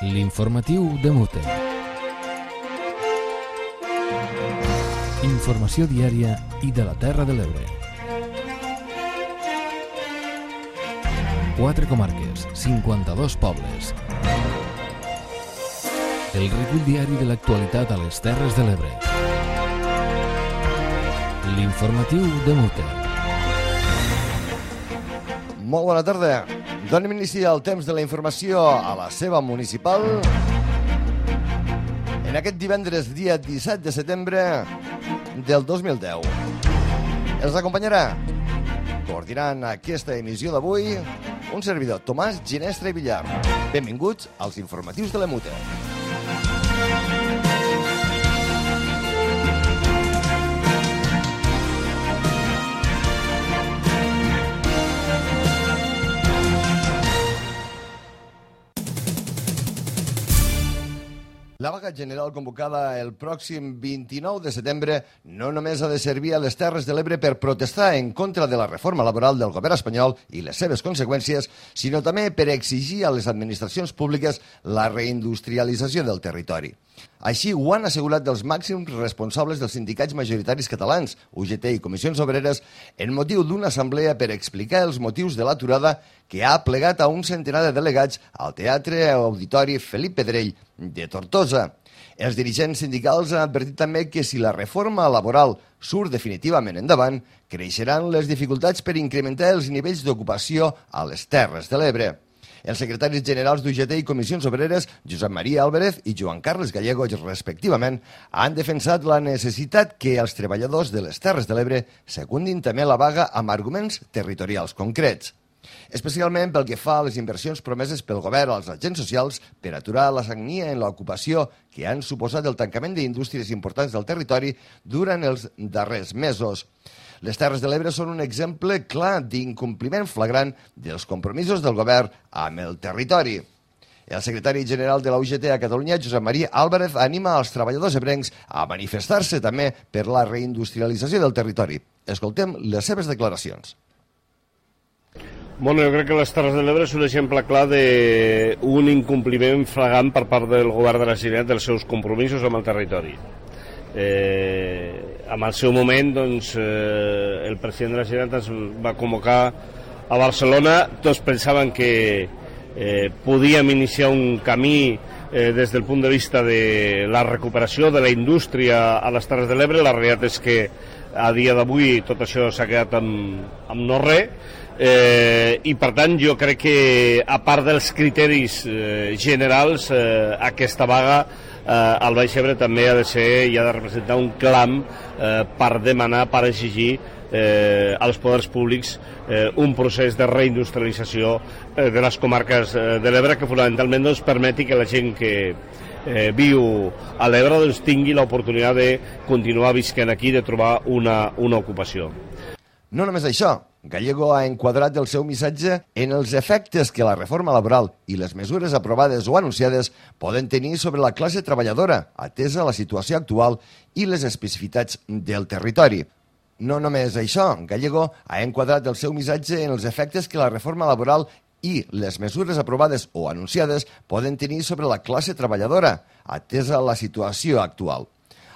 L'informatiu de Mute. Informació diària i de la Terra de l'Ebre. 4 comarques, 52 pobles. El recull diari de l'actualitat a les Terres de l'Ebre. L'informatiu de Mute. Molt bona tarda. Donem inici al temps de la informació a la seva municipal. En aquest divendres, dia 17 de setembre del 2010. Els acompanyarà, coordinant aquesta emissió d'avui, un servidor, Tomàs Ginestra i Villar. Benvinguts als informatius de la Mute. La vaga general convocada el pròxim 29 de setembre no només ha de servir a les Terres de l'Ebre per protestar en contra de la reforma laboral del govern espanyol i les seves conseqüències, sinó també per exigir a les administracions públiques la reindustrialització del territori. Així ho han assegurat els màxims responsables dels sindicats majoritaris catalans, UGT i Comissions Obreres, en motiu d'una assemblea per explicar els motius de l'aturada que ha plegat a un centenar de delegats al Teatre Auditori Felip Pedrell de Tortosa. Els dirigents sindicals han advertit també que si la reforma laboral surt definitivament endavant, creixeran les dificultats per incrementar els nivells d'ocupació a les Terres de l'Ebre. Els secretaris generals d'UGT i Comissions Obreres, Josep Maria Álvarez i Joan Carles Gallego, respectivament, han defensat la necessitat que els treballadors de les Terres de l'Ebre secundin també la vaga amb arguments territorials concrets. Especialment pel que fa a les inversions promeses pel govern als agents socials per aturar la sagnia en l'ocupació que han suposat el tancament d'indústries importants del territori durant els darrers mesos. Les Terres de l'Ebre són un exemple clar d'incompliment flagrant dels compromisos del govern amb el territori. El secretari general de la UGT a Catalunya, Josep Maria Álvarez, anima els treballadors ebrencs a manifestar-se també per la reindustrialització del territori. Escoltem les seves declaracions. Bueno, jo crec que les Terres de l'Ebre és un exemple clar d'un incompliment flagrant per part del govern de la Generalitat dels seus compromisos amb el territori. En el seu moment, doncs, el president de la Generalitat es va convocar a Barcelona. Tots pensaven que podíem iniciar un camí des del punt de vista de la recuperació de la indústria a les Terres de l'Ebre. La realitat és que a dia d'avui tot això s'ha quedat amb no res. I per tant jo crec que a part dels criteris generals aquesta vaga al Baix Ebre també ha de ser i ha de representar un clam per demanar, per exigir als poders públics un procés de reindustrialització de les comarques de l'Ebre que fonamentalment doncs, permeti que la gent que viu a l'Ebre doncs, tingui l'oportunitat de continuar visquent aquí, de trobar una ocupació. No només això, Gallego ha enquadrat el seu missatge en els efectes que la reforma laboral i les mesures aprovades o anunciades poden tenir sobre la classe treballadora, atesa la situació actual i les especificitats del territori. No només això, Gallego ha enquadrat el seu missatge en els efectes que la reforma laboral i les mesures aprovades o anunciades poden tenir sobre la classe treballadora, atesa la situació actual.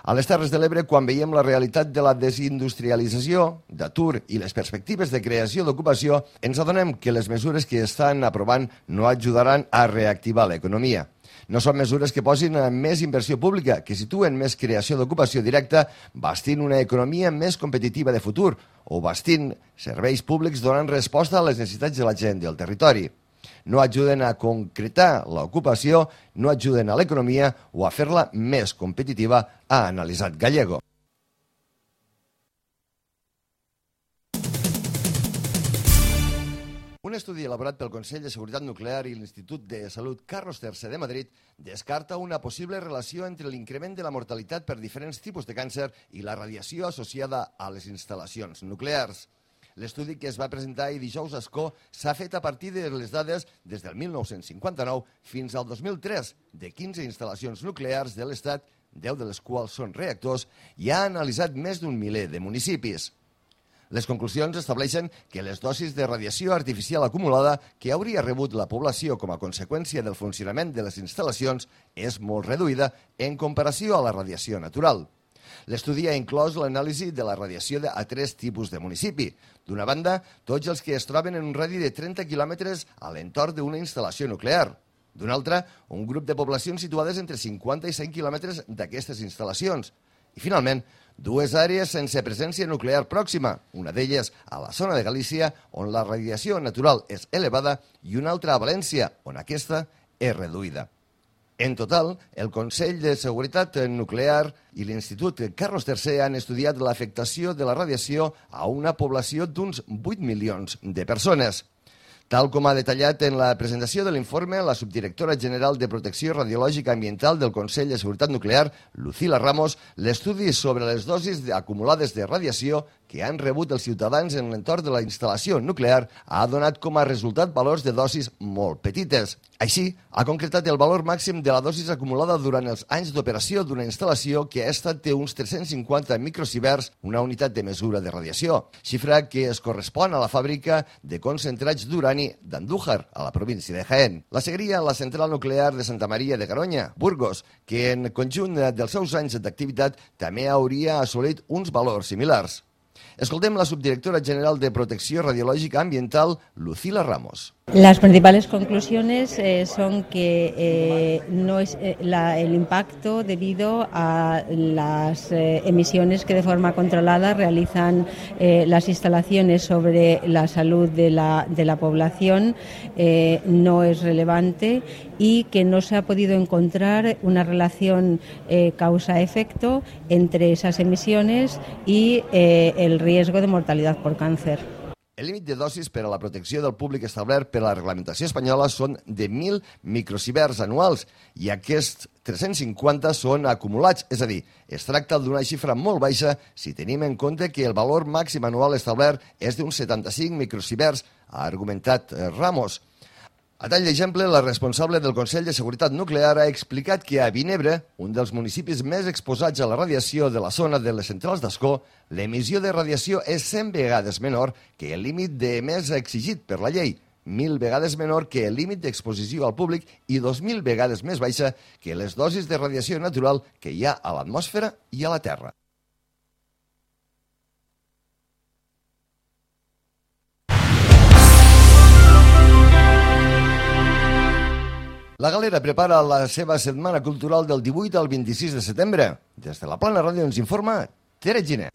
A les Terres de l'Ebre, quan veiem la realitat de la desindustrialització, d'atur i les perspectives de creació d'ocupació, ens adonem que les mesures que estan aprovant no ajudaran a reactivar l'economia. No són mesures que posin més inversió pública, que situen més creació d'ocupació directa, bastint una economia més competitiva de futur o bastint serveis públics donant resposta a les necessitats de la gent del territori. No ajuden a concretar l'ocupació, no ajuden a l'economia o a fer-la més competitiva, ha analitzat Gallego. Un estudi elaborat pel Consell de Seguretat Nuclear i l'Institut de Salut Carlos III de Madrid descarta una possible relació entre l'increment de la mortalitat per diferents tipus de càncer i la radiació associada a les instal·lacions nuclears. L'estudi que es va presentar ahir dijous a Ascó s'ha fet a partir de les dades des del 1959 fins al 2003 de 15 instal·lacions nuclears de l'Estat, 10 de les quals són reactors, i ha analitzat més d'un miler de municipis. Les conclusions estableixen que les dosis de radiació artificial acumulada que hauria rebut la població com a conseqüència del funcionament de les instal·lacions és molt reduïda en comparació a la radiació natural. L'estudi ha inclòs l'anàlisi de la radiació a 3 tipus de municipi. D'una banda, tots els que es troben en un radi de 30 quilòmetres a l'entorn d'una instal·lació nuclear. D'una altra, un grup de poblacions situades entre 50 i 100 quilòmetres d'aquestes instal·lacions. I, finalment, 2 àrees sense presència nuclear pròxima, una d'elles a la zona de Galícia, on la radiació natural és elevada, i una altra a València, on aquesta és reduïda. En total, el Consell de Seguretat Nuclear i l'Institut Carlos III han estudiat l'afectació de la radiació a una població d'uns 8 milions de persones. Tal com ha detallat en la presentació de l'informe la subdirectora general de Protecció Radiològica Ambiental del Consell de Seguretat Nuclear, Lucila Ramos, l'estudi sobre les dosis acumulades de radiació que han rebut els ciutadans en l'entorn de la instal·lació nuclear ha donat com a resultat valors de dosis molt petites. Així, ha concretat el valor màxim de la dosis acumulada durant els anys d'operació d'una instal·lació que ha estat de uns 350 microsieverts, una unitat de mesura de radiació, xifra que es correspon a la fàbrica de concentrats d'urani d'Andújar, a la província de Jaén. La seguiria la central nuclear de Santa Maria de Garoña, Burgos, que en conjunt dels seus anys d'activitat també hauria assolit uns valors similars. Escoltem la subdirectora general de Protecció Radiològica Ambiental, Lucila Ramos. Las principales conclusiones son que no es el impacto debido a las emisiones que de forma controlada realizan las instalaciones sobre la salud de la población no es relevante y que no se ha podido encontrar una relación causa-efecto entre esas emisiones y el riesgo de mortalidad por cáncer. El límit de dosis per a la protecció del públic establert per a la reglamentació espanyola són de 1.000 microsieverts anuals i aquests 350 són acumulats, és a dir, es tracta d'una xifra molt baixa si tenim en compte que el valor màxim anual establert és d'uns 75 microsieverts, ha argumentat Ramos. A tall d'exemple, la responsable del Consell de Seguretat Nuclear ha explicat que a Vinebre, un dels municipis més exposats a la radiació de la zona de les centrals d'Ascó, l'emissió de radiació és 100 vegades menor que el límit d'emès exigit per la llei, 1.000 vegades menor que el límit d'exposició al públic i 2.000 vegades més baixa que les dosis de radiació natural que hi ha a l'atmosfera i a la Terra. La Galera prepara la seva setmana cultural del 18 al 26 de setembre. Des de la Plana Ràdio ens informa Tere Giner.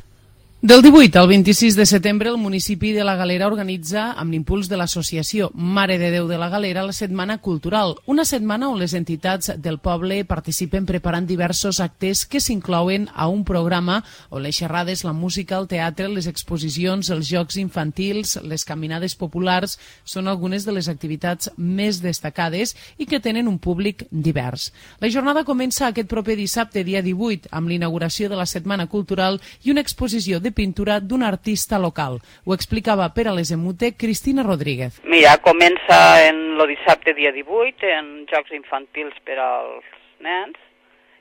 Del 18 al 26 de setembre, el municipi de la Galera organitza, amb l'impuls de l'associació Mare de Déu de la Galera, la Setmana Cultural, una setmana on les entitats del poble participen preparant diversos actes que s'inclouen a un programa on les xerrades, la música, el teatre, les exposicions, els jocs infantils, les caminades populars són algunes de les activitats més destacades i que tenen un públic divers. La jornada comença aquest proper dissabte, dia 18, amb l'inauguració de la Setmana Cultural i una exposició de pintura d'un artista local. Ho explicava per a les Emute Cristina Rodríguez. Mira, comença en el dissabte dia 18 en jocs infantils per als nens,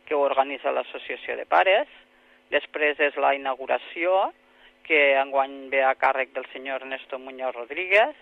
que ho organitza l'Associació de Pares. Després és la inauguració, que enguany ve a càrrec del senyor Ernesto Muñoz Rodríguez,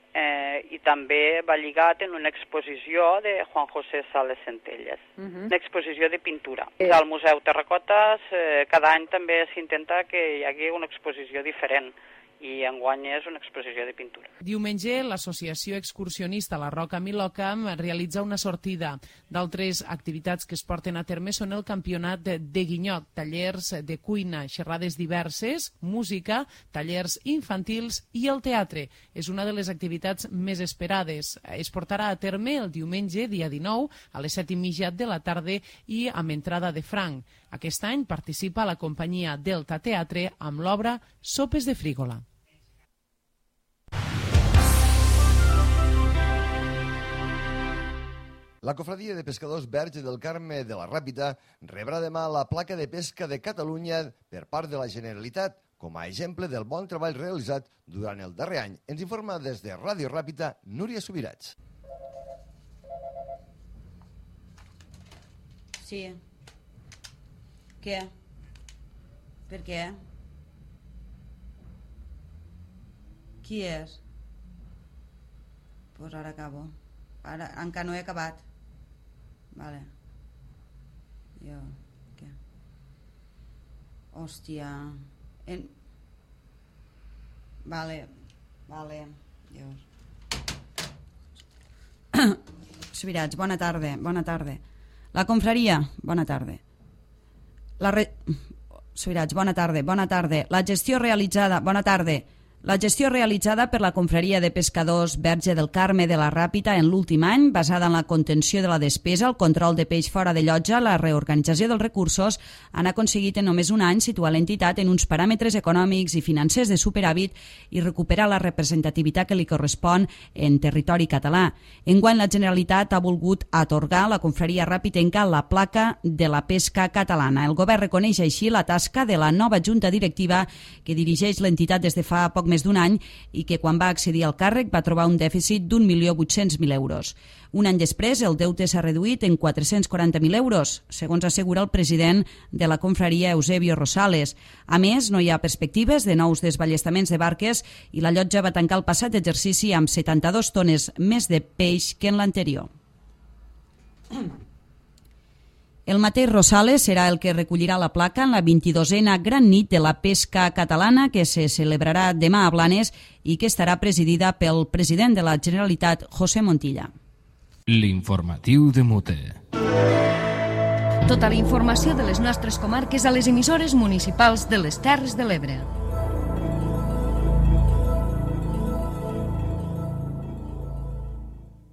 i també va lligat en una exposició de Juan José Sales Centelles, una exposició de pintura. Al Museu Terracotes cada any també s'intenta que hi hagi una exposició diferent i enguany és una exposició de pintura. Diumenge, l'associació excursionista La Roca Milocam realitza una sortida. D'altres activitats que es porten a terme són el campionat de guinyot, tallers de cuina, xerrades diverses, música, tallers infantils i el teatre. És una de les activitats més esperades. Es portarà a terme el diumenge, dia 19, a les 7:30 de la tarda i amb entrada de franc. Aquest any participa la companyia Delta Teatre amb l'obra Sopes de Frígola. La Cofradia de Pescadors Verge del Carme de la Ràpita rebrà demà la placa de pesca de Catalunya per part de la Generalitat, com a exemple del bon treball realitzat durant el darrer any. Ens informa des de Ràdio Ràpita Núria Subirats. Sí. Què? Per què? Qui és? Pues ara acabo. Ara encara no he acabat. Vale. Jo... Què? Hòstia... Vale. Dios. Subirats, bona tarda. La confraria, bona tarda. Subirats, bona tarda. La gestió realitzada per la confraria de pescadors Verge del Carme de la Ràpita en l'últim any, basada en la contenció de la despesa, el control de peix fora de llotja, la reorganització dels recursos, han aconseguit en només un any situar l'entitat en uns paràmetres econòmics i financers de superàvit i recuperar la representativitat que li correspon en territori català. Enguany la Generalitat ha volgut atorgar a la confraria ràpitenca la placa de la pesca catalana. El govern reconeix així la tasca de la nova junta directiva que dirigeix l'entitat des de fa poc més d'un any i que quan va accedir al càrrec va trobar un dèficit d'1.800.000 euros. Un any després, el deute s'ha reduït en 440.000 euros, segons assegura el president de la confraria, Eusebio Rosales. A més, no hi ha perspectives de nous desballestaments de barques i la llotja va tancar el passat exercici amb 72 tones més de peix que en l'anterior. El mateix Rosales serà el que recollirà la placa en la 22a Gran Nit de la Pesca Catalana que se celebrarà demà a Blanes i que estarà presidida pel president de la Generalitat, José Montilla. L'informatiu de Mute. Tota la informació de les nostres comarques a les emissores municipals de les Terres de l'Ebre.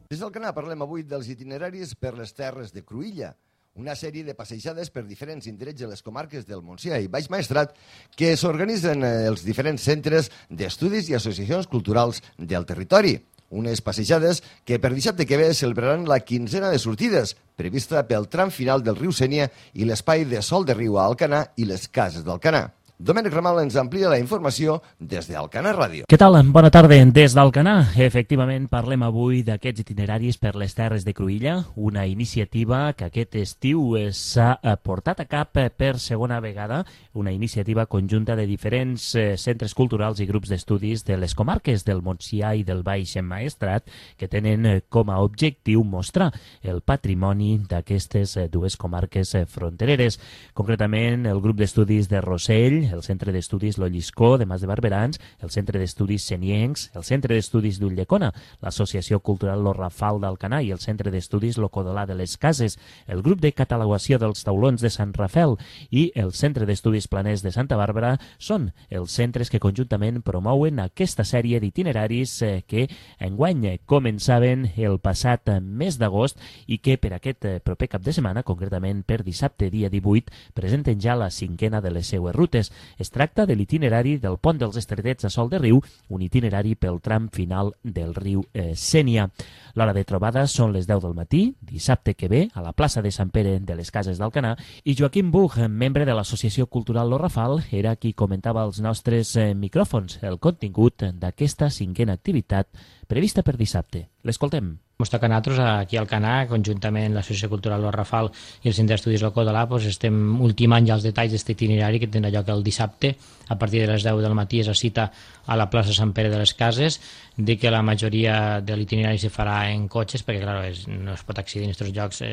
Des del Canà parlem avui dels itineraris per les Terres de Cruïlla, una sèrie de passejades per diferents indrets de les comarques del Montsià i Baix Maestrat que s'organitzen els diferents centres d'estudis i associacions culturals del territori. Unes passejades que per dissabte que ve celebraran la 15ena de sortides, prevista pel tram final del riu Sénia i l'espai de Sol de Riu a Alcanar i les Cases d'Alcanar. Domènec Ramal ens amplia la informació des d'Alcanar Ràdio. Què tal? Bona tarda des d'Alcanar. Efectivament, parlem avui d'aquests itineraris per les Terres de Cruïlla, una iniciativa que aquest estiu s'ha portat a cap per segona vegada, una iniciativa conjunta de diferents centres culturals i grups d'estudis de les comarques del Montsià i del Baix Maestrat que tenen com a objectiu mostrar el patrimoni d'aquestes dues comarques frontereres. Concretament, el grup d'estudis de Rossell, el Centre d'Estudis Lolliscó de Mas de Barberans, el Centre d'Estudis Seniencs, el Centre d'Estudis d'Ulldecona, l'Associació Cultural Lo Rafal d'Alcanar i el Centre d'Estudis Lo Codolà de les Cases, el grup de catalogació dels taulons de Sant Rafel i el Centre d'Estudis Planers de Santa Bàrbara són els centres que conjuntament promouen aquesta sèrie d'itineraris que enguany començaven el passat mes d'agost i que per aquest proper cap de setmana, concretament per dissabte dia 18, presenten ja la 5a de les seues rutes. Es tracta de l'itinerari del Pont dels Estretets a Sol de Riu, un itinerari pel tram final del riu Sénia. L'hora de trobada són les 10 del matí, dissabte que ve, a la plaça de Sant Pere de les Cases d'Alcanar, i Joaquim Buch, membre de l'Associació Cultural Lo Rafal, era qui comentava als nostres micròfons el contingut d'aquesta 5a activitat prevista per dissabte. L'escoltem. Ens toca a nosaltres aquí al Alcanar, conjuntament l'Associació Cultural Lo Rafal i el Centre d'Estudis Lo Codolà, estem ultimant ja els detalls d'aquest itinerari que tindrà lloc el dissabte. A partir de les 10 del matí és la cita a la plaça Sant Pere de les Cases. Dic que la majoria de l'itinerari se farà en cotxes, perquè clar, no es pot accedir en aquests llocs.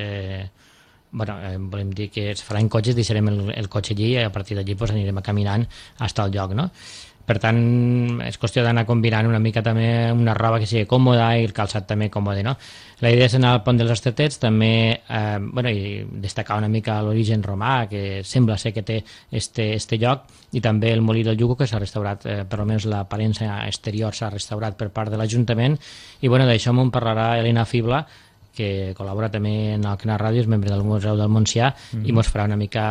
Volem dir que es farà en cotxes, deixarem el cotxe allí i a partir d'allí anirem caminant fins al lloc, no? Per tant, és qüestió d'anar combinant una mica també una roba que sigui còmoda i el calçat també còmode, no? La idea és anar al Pont dels Estretets, també i destacar una mica l'origen romà, que sembla ser que té este lloc, i també el Molí del Llugo, que s'ha restaurat, per almenys l'aparença exterior s'ha restaurat per part de l'Ajuntament, i d'això m'en parlarà Elena Fibla, que col·labora també en Alcanar Ràdio, és membre del Museu del Montsià, i ens farà una mica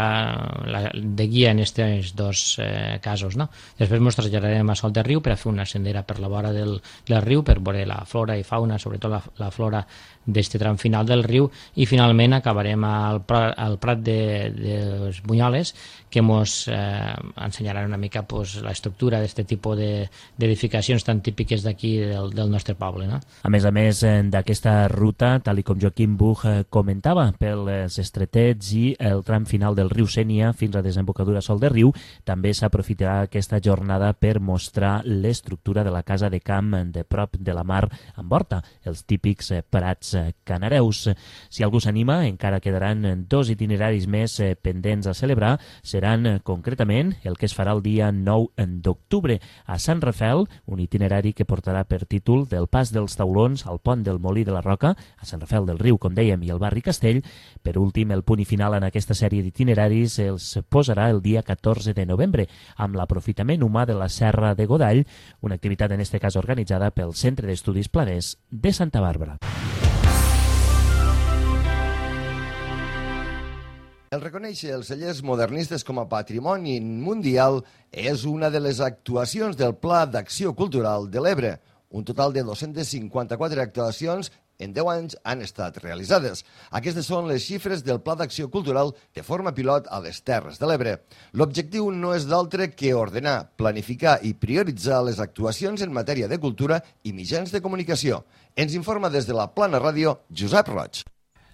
de guia en aquests dos casos, no? Després ens traslladarem a Sol de Riu per a fer una sendera per la vora del riu, per veure la flora i fauna, sobretot la flora d'aquest tram final del riu, i finalment acabarem al Prat dels Bunyoles, que ens ensenyaran una mica l'estructura d'aquest tipus d'edificacions tan típiques d'aquí del nostre poble, no? A més d'aquesta ruta, tal com Joaquim Buch comentava, pels estretets i el tram final del riu Sénia fins a desembocadura Sol de Riu. També s'aprofitarà aquesta jornada per mostrar l'estructura de la casa de camp de prop de la mar amb horta, els típics prats canareus. Si algú s'anima, encara quedaran 2 itineraris més pendents a celebrar. Seran concretament el que es farà el dia 9 d'octubre a Sant Rafel, un itinerari que portarà per títol del Pas dels Taulons al Pont del Molí de la Roca, a Sant Rafel del Riu, com dèiem, i el barri Castell. Per últim, el punt i final en aquesta sèrie d'itineraris els posarà el dia 14 de novembre, amb l'aprofitament humà de la Serra de Godall, una activitat en este cas organitzada pel Centre d'Estudis Planers de Santa Bàrbara. El reconèixer els cellers modernistes com a patrimoni mundial és una de les actuacions del Pla d'Acció Cultural de l'Ebre. Un total de 254 actuacions en 10 anys han estat realitzades. Aquestes són les xifres del Pla d'Acció Cultural de forma pilot a les Terres de l'Ebre. L'objectiu no és d'altre que ordenar, planificar i prioritzar les actuacions en matèria de cultura i mitjans de comunicació. Ens informa des de la Plana Ràdio Josep Roig.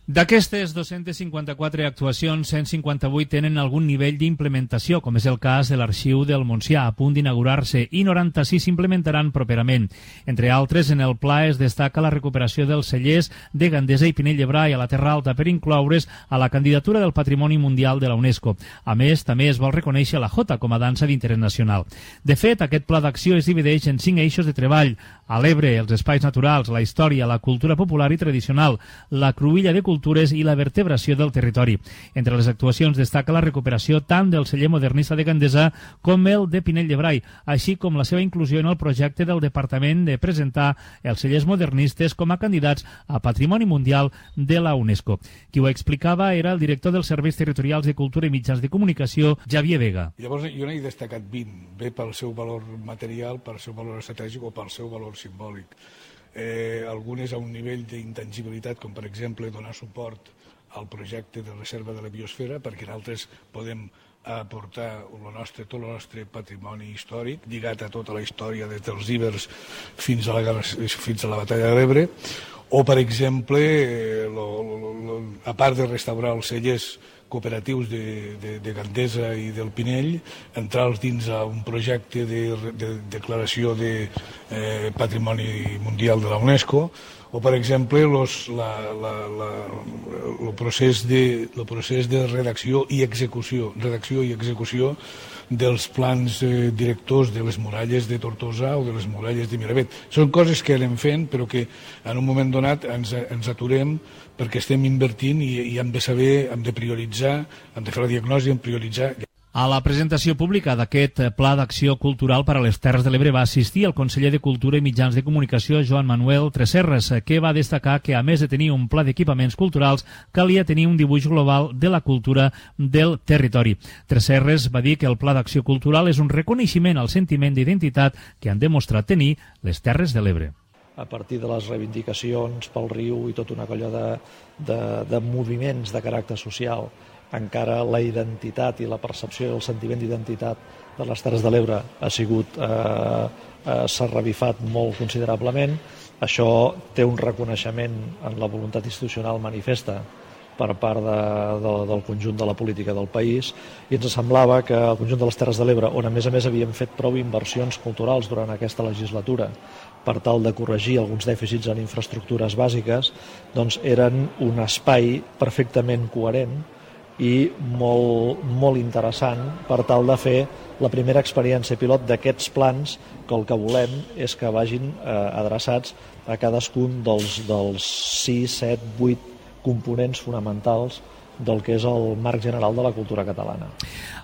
D'aquestes 254 actuacions, 158 tenen algun nivell d'implementació, com és el cas de l'Arxiu del Montsià, a punt d'inaugurar-se, i 96 s'implementaran properament. Entre altres, en el pla es destaca la recuperació dels cellers de Gandesa i Pinell de Brai a la Terra Alta per incloure's a la candidatura del Patrimoni Mundial de la UNESCO. A més, també es vol reconèixer la jota com a dansa d'interès nacional. De fet, aquest pla d'acció es divideix en 5 eixos de treball: a l'Ebre, els espais naturals, la història, la cultura popular i tradicional, la cruïlla de cultures i la vertebració del territori. Entre les actuacions destaca la recuperació tant del celler modernista de Gandesa com el de Pinell de Brai, així com la seva inclusió en el projecte del Departament de presentar els cellers modernistes com a candidats a Patrimoni Mundial de la UNESCO. Qui ho explicava era el director dels Serveis Territorials de Cultura i Mitjans de Comunicació, Javier Vega. Llavors jo n'he destacat 20, bé pel seu valor material, pel seu valor estratègic o pel seu valor simbòlic. Algunes a un nivell d'intangibilitat, com per exemple donar suport al projecte de reserva de la biosfera, perquè nosaltres podem aportar tot el nostre patrimoni històric, lligat a tota la història des dels ibers fins a la batalla de l'Ebre, o per exemple, a part de restaurar els cellers cooperatius de Gandesa i del Pinell, entrar dins a un projecte de declaració de Patrimoni Mundial de la UNESCO, o per exemple el procés de redacció i execució dels plans directors de les muralles de Tortosa o de les muralles de Miravet. Són coses que anem fent, però que en un moment donat ens aturem perquè estem invertint i hem de saber, hem de prioritzar, hem de fer la diagnosi, hem de prioritzar. A la presentació pública d'aquest Pla d'Acció Cultural per a les Terres de l'Ebre va assistir el conseller de Cultura i Mitjans de Comunicació, Joan Manuel Tresserras, que va destacar que, a més de tenir un pla d'equipaments culturals, calia tenir un dibuix global de la cultura del territori. Tresserras va dir que el Pla d'Acció Cultural és un reconeixement al sentiment d'identitat que han demostrat tenir les Terres de l'Ebre. A partir de les reivindicacions pel riu i tota una colla de moviments de caràcter social, encara la identitat i la percepció i el sentiment d'identitat de les Terres de l'Ebre s'ha revifat molt considerablement. Això té un reconeixement en la voluntat institucional manifesta per part del conjunt de la política del país, i ens semblava que el conjunt de les Terres de l'Ebre, on a més havíem fet prou inversions culturals durant aquesta legislatura per tal de corregir alguns dèficits en infraestructures bàsiques, doncs eren un espai perfectament coherent i molt interessant per tal de fer la primera experiència pilot d'aquests plans, que el que volem és que vagin adreçats a cadascun dels 6, 7, 8 components fonamentals del que és el marc general de la cultura catalana.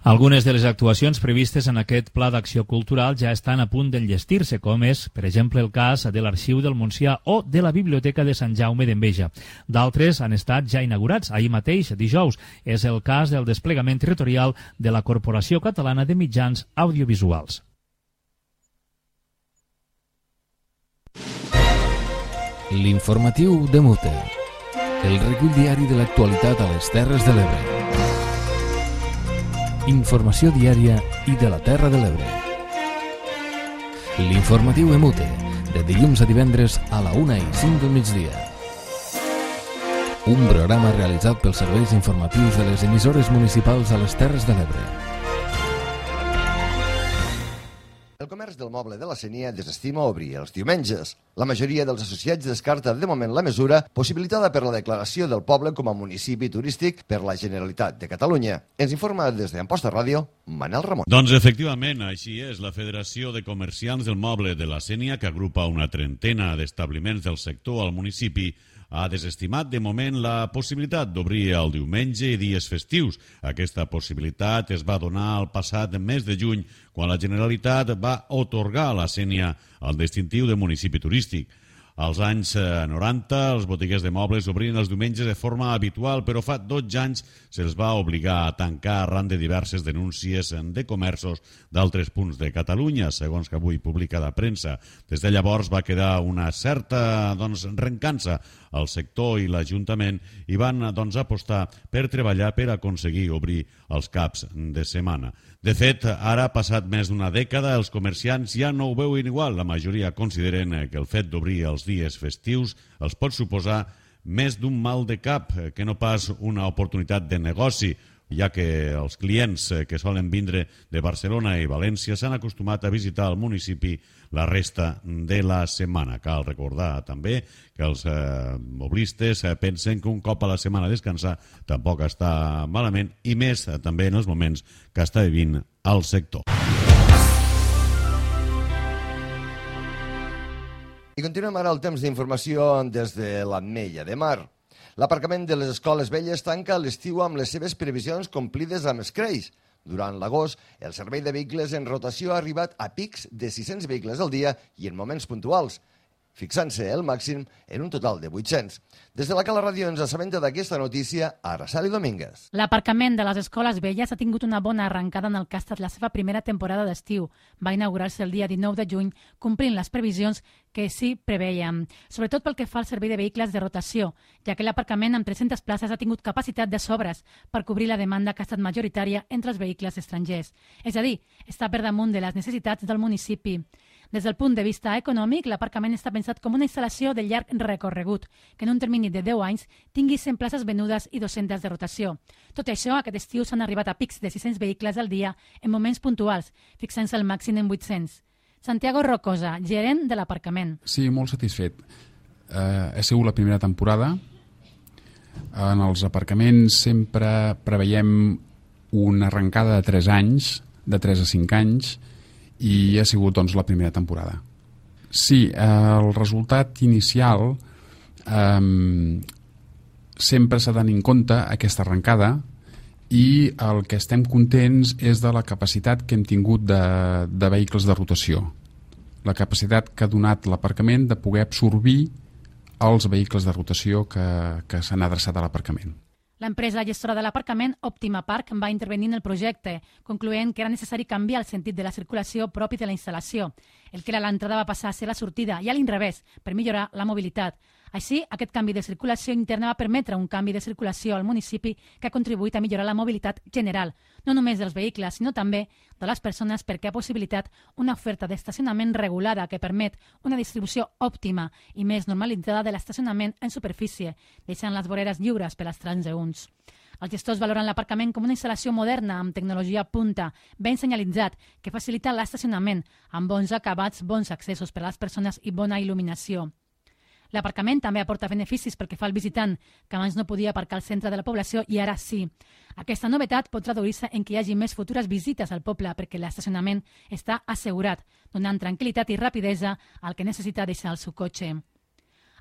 Algunes de les actuacions previstes en aquest Pla d'Acció Cultural ja estan a punt d'enllestir-se, com és, per exemple, el cas de l'Arxiu del Montsià o de la Biblioteca de Sant Jaume d'Enveja. D'altres han estat ja inaugurats, ahir mateix, dijous. És el cas del desplegament territorial de la Corporació Catalana de Mitjans Audiovisuals. L'informatiu de Mute. El recull diari de l'actualitat a les Terres de l'Ebre. Informació diària i de la Terra de l'Ebre. L'informatiu Emute, de dilluns a divendres a la 1:05 del migdia. un programa realitzat pels serveis informatius de les emissores municipals a les Terres de l'Ebre. El comerç del moble de la Sénia desestima obrir els diumenges. La majoria dels associats descarta de moment la mesura, possibilitada per la declaració del poble com a municipi turístic per la Generalitat de Catalunya. Ens informa des d'Amposta Ràdio, Manel Ramon. Doncs efectivament, així és. La Federació de Comerciants del Moble de la Sénia, que agrupa una trentena d'establiments del sector al municipi, ha desestimat de moment la possibilitat d'obrir el diumenge i dies festius. Aquesta possibilitat es va donar el passat mes de juny, quan la Generalitat va atorgar a la Sénia el distintiu de municipi turístic. Als anys 90, els botiguers de mobles obrien els diumenges de forma habitual, però fa 12 anys se'ls va obligar a tancar arran de diverses denúncies de comerços d'altres punts de Catalunya, segons que avui publica la premsa. Des de llavors va quedar una certa rencança al sector i l'Ajuntament i van apostar per treballar per aconseguir obrir els caps de setmana. De fet, ara, passat més d'una dècada, els comerciants ja no ho veuen igual. La majoria consideren que el fet d'obrir els dies festius els pot suposar més d'un mal de cap que no pas una oportunitat de negoci, ja que els clients que solen vindre de Barcelona i València s'han acostumat a visitar el municipi la resta de la setmana. Cal recordar també que els moblistes pensen que un cop a la setmana descansar tampoc està malament, i més també en els moments que està vivint el sector. I continuem ara el temps d'informació des de l'Ametlla de Mar. L'aparcament de les escoles velles tanca l'estiu amb les seves previsions complides amb escreix. Durant l'agost, el servei de vehicles en rotació ha arribat a pics de 600 vehicles al dia i en moments puntuals, fixant-se el màxim en un total de 800. Des de la Cala Ràdio ens assabenta d'aquesta notícia Araceli Domínguez. L'aparcament de les escoles velles ha tingut una bona arrencada en el que ha estat la seva primera temporada d'estiu. Va inaugurar-se el dia 19 de juny, complint les previsions que s'hi preveien, sobretot pel que fa al servei de vehicles de rotació, ja que l'aparcament amb 300 places ha tingut capacitat de sobres per cobrir la demanda que ha estat majoritària entre els vehicles estrangers. És a dir, està per damunt de les necessitats del municipi. Des del punt de vista econòmic, l'aparcament està pensat com una instal·lació de llarg recorregut, que en un termini de 10 anys tingui 100 places venudes i 200 de rotació. Tot això, aquest estiu s'han arribat a pics de 600 vehicles al dia en moments puntuals, fixant-se el màxim en 800. Santiago Rocosa, gerent de l'aparcament. Sí, molt satisfet. Ha sigut la primera temporada. En els aparcaments sempre preveiem una arrencada de 3 anys, de 3 a 5 anys, i ha sigut doncs la primera temporada. Sí, el resultat inicial sempre s'ha de tenir en compte aquesta arrencada, i el que estem contents és de la capacitat que hem tingut de vehicles de rotació, la capacitat que ha donat l'aparcament de poder absorbir els vehicles de rotació que s'han adreçat a l'aparcament. L'empresa gestora de l'aparcament, Òptima Park, va intervenir en el projecte, concloent que era necessari canviar el sentit de la circulació propi de la instal·lació. El que era l'entrada va passar a ser la sortida, i a l'inrevés, per millorar la mobilitat. Així, aquest canvi de circulació interna va permetre un canvi de circulació al municipi que ha contribuït a millorar la mobilitat general, no només dels vehicles, sinó també de les persones, perquè ha possibilitat una oferta d'estacionament regulada que permet una distribució òptima i més normalitzada de l'estacionament en superfície, deixant les voreres lliures per als transeünts. Els gestors valoren l'aparcament com una instal·lació moderna amb tecnologia punta, ben senyalitzat, que facilita l'estacionament, amb bons acabats, bons accessos per a les persones i bona il·luminació. L'aparcament també aporta beneficis pel que fa al visitant, que abans no podia aparcar al centre de la població i ara sí. Aquesta novetat pot traduir-se en que hi hagi més futures visites al poble perquè l'estacionament està assegurat, donant tranquil·litat i rapidesa al que necessita deixar el seu cotxe.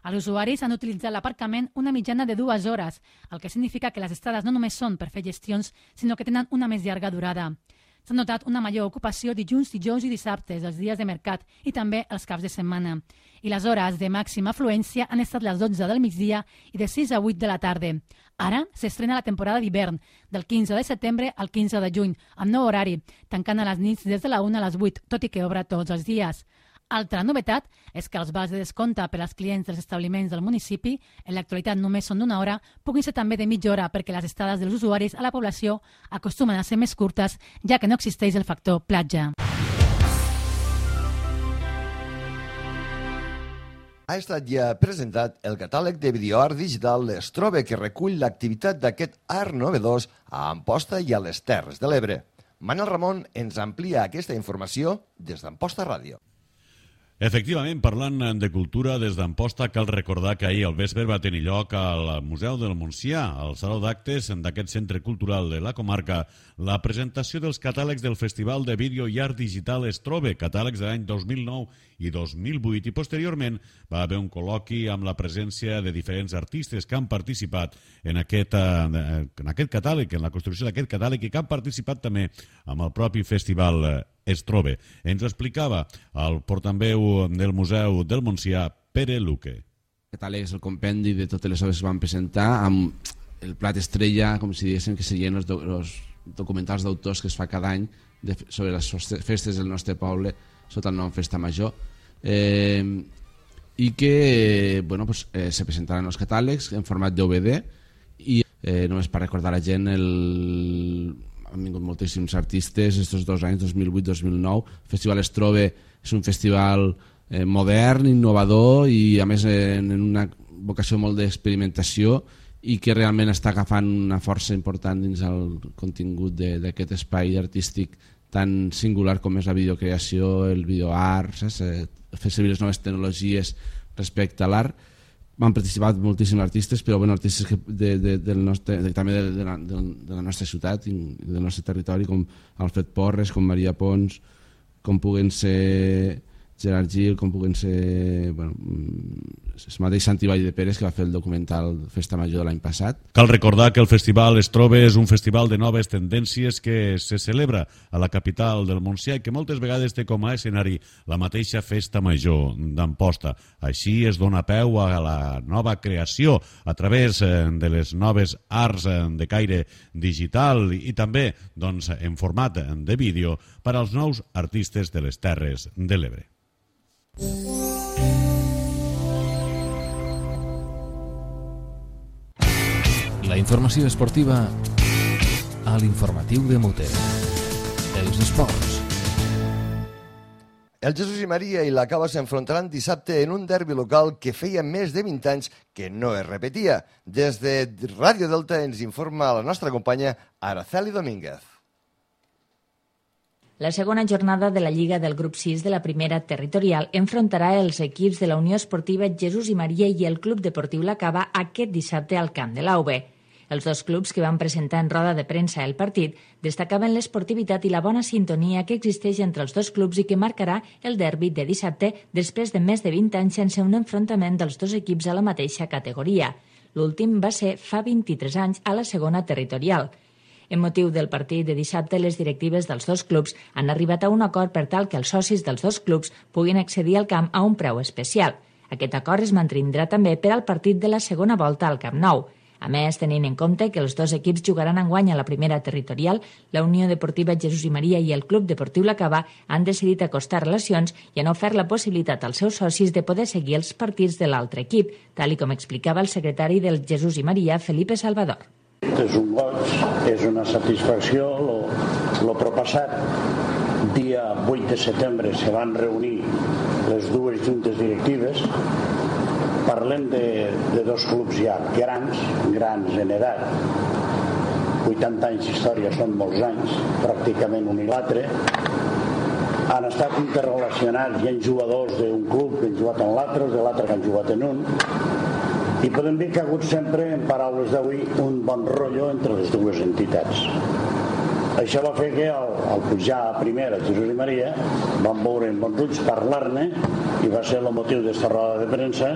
Els usuaris han utilitzat l'aparcament una mitjana de 2 hores, el que significa que les estades no només són per fer gestions, sinó que tenen una més llarga durada. S'ha notat una major ocupació dilluns, dijous i dissabtes, els dies de mercat i també els caps de setmana. I les hores de màxima afluència han estat les 12 del migdia i de 6 a 8 de la tarda. Ara s'estrena la temporada d'hivern, del 15 de setembre al 15 de juny, amb nou horari, tancant a les nits des de la 1 a les 8, tot i que obre tots els dies. Altra novetat és que els vals de descompte per als clients dels establiments del municipi, en l'actualitat només són d'1 hora, puguin ser també de mitja hora perquè les estades dels usuaris a la població acostumen a ser més curtes, ja que no existeix el factor platja. Ha estat ja presentat el catàleg de videoart digital Estrobe, que recull l'activitat d'aquest art novedós a Amposta i a les Terres de l'Ebre. Manel Ramon ens amplia aquesta informació des d'Amposta Ràdio. Efectivament, parlant de cultura, des d'Amposta cal recordar que ahir al vespre va tenir lloc al Museu del Montsià, al Saló d'Actes d'aquest centre cultural de la comarca, la presentació dels catàlegs del Festival de Vídeo i Art Digital Estrobe, catàlegs de l'any 2009 i 2008, i posteriorment va haver un col·loqui amb la presència de diferents artistes que han participat en aquest catàleg, en la construcció d'aquest catàleg, i que han participat també amb el propi Festival Estrobe. Ens ho explicava el portaveu del Museu del Montsià, Pere Luque. El catàleg és el compendi de totes les obres que van presentar, amb el plat estrella, com si diguéssim, que serien els documentals d'autors que es fa cada any sobre les festes del nostre poble, sota el nom Festa Major, i que se presentaran els catàlegs en format DVD, i només per recordar a la gent, han vingut moltíssims artistes estos 2 anys, 2008-2009. El Festival Estrobe és un festival modern, innovador i a més en una vocació molt d'experimentació, i que realment està agafant una força important dins el contingut d'aquest espai artístic tan singular com és la videocreació, el videoart, fer servir les noves tecnologies respecte a l'art. Van participar moltíssims artistes, però artistes també de la nostra ciutat i del nostre territori, com Alfred Porres, com Maria Pons, com puguen ser Gerard Gil, com puguen ser el mateix Santi Vall de Pérez, que va fer el documental Festa Major de l'any passat. Cal recordar que el Festival Estrobe és un festival de noves tendències que se celebra a la capital del Montsià i que moltes vegades té com a escenari la mateixa Festa Major d'Amposta. Així es dona peu a la nova creació a través de les noves arts de caire digital i també en format de vídeo per als nous artistes de les Terres de l'Ebre. La informació esportiva a l'informatiu de Muter. Els esports. El Jesús i Maria i la Cava s'enfrontaran dissabte en un derbi local que feia més de 20 anys que no es repetia. Des de Ràdio Delta ens informa la nostra companya Araceli Domínguez. La segona jornada de la Lliga del grup 6 de la primera territorial enfrontarà els equips de la Unió Esportiva Jesús i Maria i el Club Deportiu La Cava aquest dissabte al camp de l'AUB. Els dos clubs que van presentar en roda de premsa el partit destacaven l'esportivitat i la bona sintonia que existeix entre els dos clubs i que marcarà el derbi de dissabte després de més de 20 anys sense un enfrontament dels dos equips a la mateixa categoria. L'últim va ser fa 23 anys a la segona territorial. En motiu del partit de dissabte, les directives dels dos clubs han arribat a un acord per tal que els socis dels dos clubs puguin accedir al camp a un preu especial. Aquest acord es mantindrà també per al partit de la segona volta al Camp Nou. A més, tenint en compte que els dos equips jugaran enguany a la primera territorial, la Unió Deportiva Jesús i Maria i el Club Deportiu La Cava han decidit acostar relacions i han ofert la possibilitat als seus socis de poder seguir els partits de l'altre equip, tal com explicava el secretari del Jesús i Maria, Felipe Salvador. És un goig, és una satisfacció. Lo propassat, dia 8 de setembre, se van reunir les dues juntes directives. Parlem de dos clubs ja grans en edat. 80 anys d'història són molts anys, pràcticament un i l'altre. Han estat interrelacionats, hi ha jugadors d'un club que han jugat en l'altre, de l'altre que han jugat en un. I podem dir que ha hagut sempre, en paraules d'avui, un bon rotllo entre les dues entitats. Això va fer que al pujar a primera Jesús i Maria van veure en bons ulls parlar-ne i va ser el motiu d'esta roda de premsa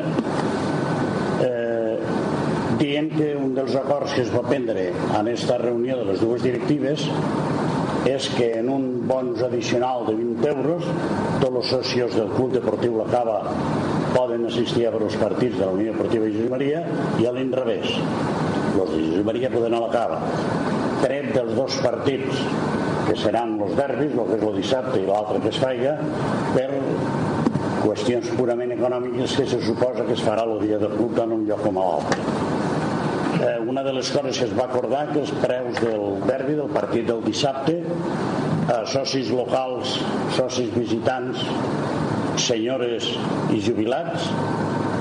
dient que un dels acords que es va prendre en aquesta reunió de les dues directives és que en un bonus addicional de 20 euros tots els socios del Club Deportiu La Cava poden assistir a veure els partits de la Unió Deportiva Jesús i Maria i a l'inrevés. Els de Jesús i Maria poden anar a La Cava. Tret dels dos partits que seran els derbis, el que és el dissabte i l'altre que es faiga, per qüestions purament econòmiques que se suposa que es farà el dia del club tant en un lloc com a l'altre. Una de les coses que es va acordar que els preus del derbi, del partit del dissabte, socis locals, socis visitants, senyores i jubilats,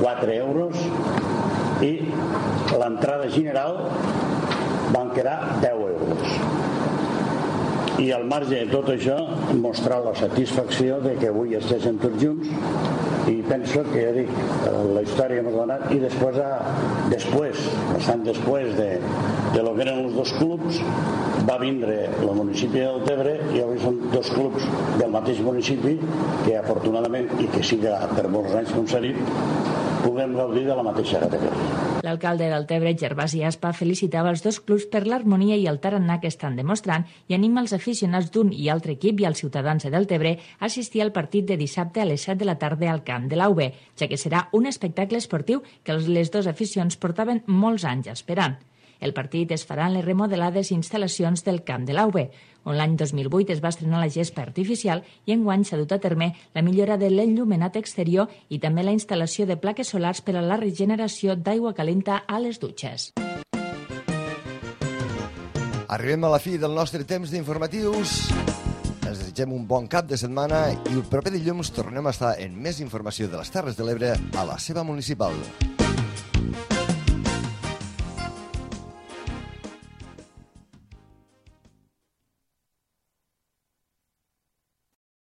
4 euros i l'entrada general van quedar 10 euros. I al marge de tot això, mostrar la satisfacció de que avui estiguem tots junts i penso que, ja dic, la història que hem donat i bastant després de lo que eren els dos clubs, va vindre el municipi del Tebre i avui són dos clubs del mateix municipi que afortunadament, i que siga per molts anys com s'ha dit, puguem gaudir de la mateixa categoria. L'alcalde del Tebre, Gervasi Aspa, felicitava els dos clubs per l'harmonia i el tarannà que estan demostrant i anima els aficionats d'un i altre equip i els ciutadans del Tebre a assistir al partit de dissabte a les 7 de la tarda al camp de l'AUB, ja que serà un espectacle esportiu que les dues aficions portaven molts anys esperant. El partit es farà en les remodelades instal·lacions del camp de l'AUB, on l'any 2008 es va estrenar la gespa artificial i enguany s'ha dut a terme la millora de l'enllumenat exterior i també la instal·lació de plaques solars per a la regeneració d'aigua calenta a les dutxes. Arribem a la fi del nostre temps d'informatius. Ens desitgem un bon cap de setmana i el proper dilluns tornem a estar en més informació de les Terres de l'Ebre a la seva municipal.